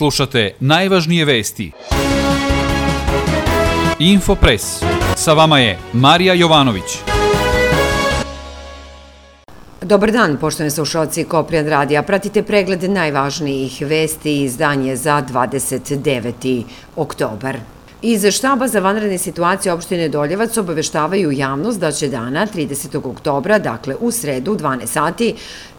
Slušate najvažnije vesti. Infopres. Sa vama je Marija Jovanović. Dobar dan, poštovani slušalci Koprijan radija. Pratite pregled najvažnijih vesti i izdanje za 29. oktobar. Iz štaba za vanredne situacije opštine Doljevac obaveštavaju javnost da će dana 30. oktobra, dakle u sredu 12 sati,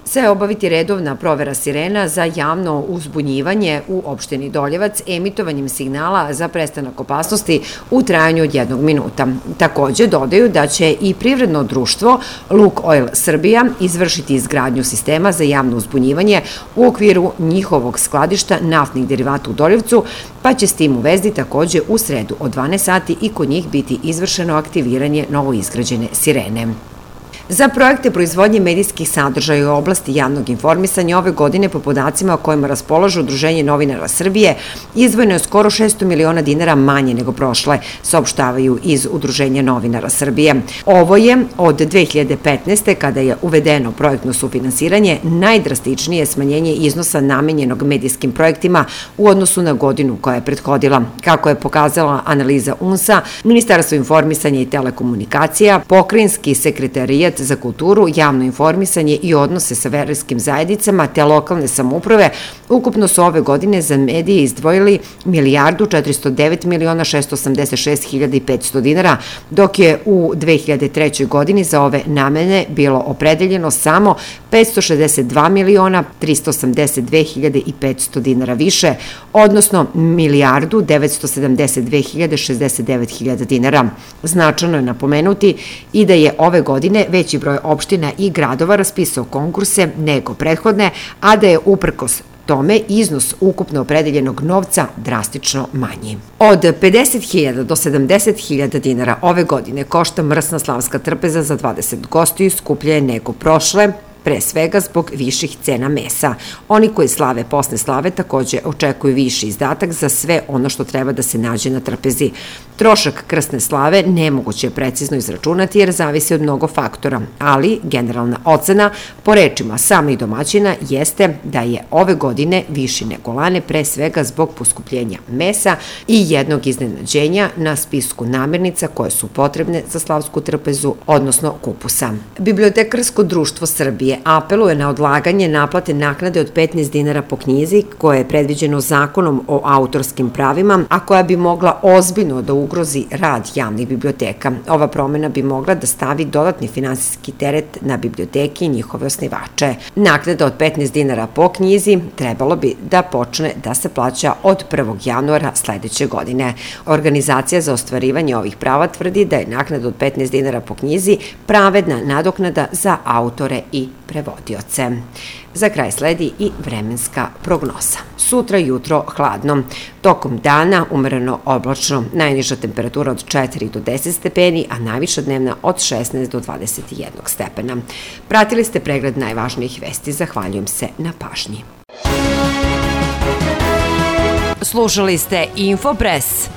se obaviti redovna provera sirena za javno uzbunjivanje u opštini Doljevac emitovanjem signala za prestanak opasnosti u trajanju od 1 minuta. Takođe dodaju da će i privredno društvo Lukoil Srbija izvršiti izgradnju sistema za javno uzbunjivanje u okviru njihovog skladišta naftnih derivata u Doljevcu, pa će s tim u vezi takođe u sredu od 12 sati i kod njih biti izvršeno aktiviranje novoizgrađene sirene. Za projekte proizvodnje medijskih sadržaja u oblasti javnog informisanja ove godine, po podacima o kojima raspolažu Udruženje novinara Srbije, izdvojeno je skoro 600 miliona dinara manje nego prošle, saopštavaju iz Udruženja novinara Srbije. Ovo je od 2015. kada je uvedeno projektno sufinansiranje najdrastičnije smanjenje iznosa namenjenog medijskim projektima u odnosu na godinu koja je prethodila. Kako je pokazala analiza UNS-a, Ministarstvo informisanja i telekomunikacija, Pokrajinski sekretarijat za kulturu, javno informisanje i odnose sa verskim zajednicama te lokalne samouprave ukupno su ove godine za medije izdvojili 1.409.686.500 dinara, dok je u 2003. godini za ove namene bilo opredeljeno samo 562.382.500 dinara više, odnosno 1.972.069.069 dinara. Značajno je napomenuti i da je ove godine veći broj opština i gradova raspisao konkurse nego prethodne, a da je uprkos tome iznos ukupno opredeljenog novca drastično manji. Od 50.000 do 70.000 dinara ove godine košta mrsna slavska trpeza za 20 gostiju, skuplje je nego prošle, pre svega zbog viših cena mesa. Oni koji slave posle slave takođe očekuju viši izdatak za sve ono što treba da se nađe na trpezi. Trošak krsne slave nemoguće je precizno izračunati jer zavisi od mnogo faktora, ali generalna ocena, po rečima samih domaćina, jeste da je ove godine viši nego lane, pre svega zbog poskupljenja mesa i jednog iznenađenja na spisku namirnica koje su potrebne za slavsku trpezu, odnosno kupusa. Bibliotekarsko društvo Srbije apeluje na odlaganje naplate naknade od 15 dinara po knjizi koje je predviđeno zakonom o autorskim pravima, a koja bi mogla ozbiljno da ugrozi rad javnih biblioteka. Ova promena bi mogla da stavi dodatni finansijski teret na biblioteke i njihove osnivače. Naknada od 15 dinara po knjizi trebalo bi da počne da se plaća od 1. januara sledeće godine. Organizacija za ostvarivanje ovih prava tvrdi da je naknada od 15 dinara po knjizi pravedna nadoknada za autore i prevodioce. Za kraj sledi i vremenska prognoza. Sutra jutro hladno. Tokom dana umereno oblačno, najniža temperatura od 4 do 10 stepeni, a najviša dnevna od 16 do 21 stepena. Pratili ste pregled najvažnijih vesti. Zahvaljujem se na pažnji. Slušali ste Infopres.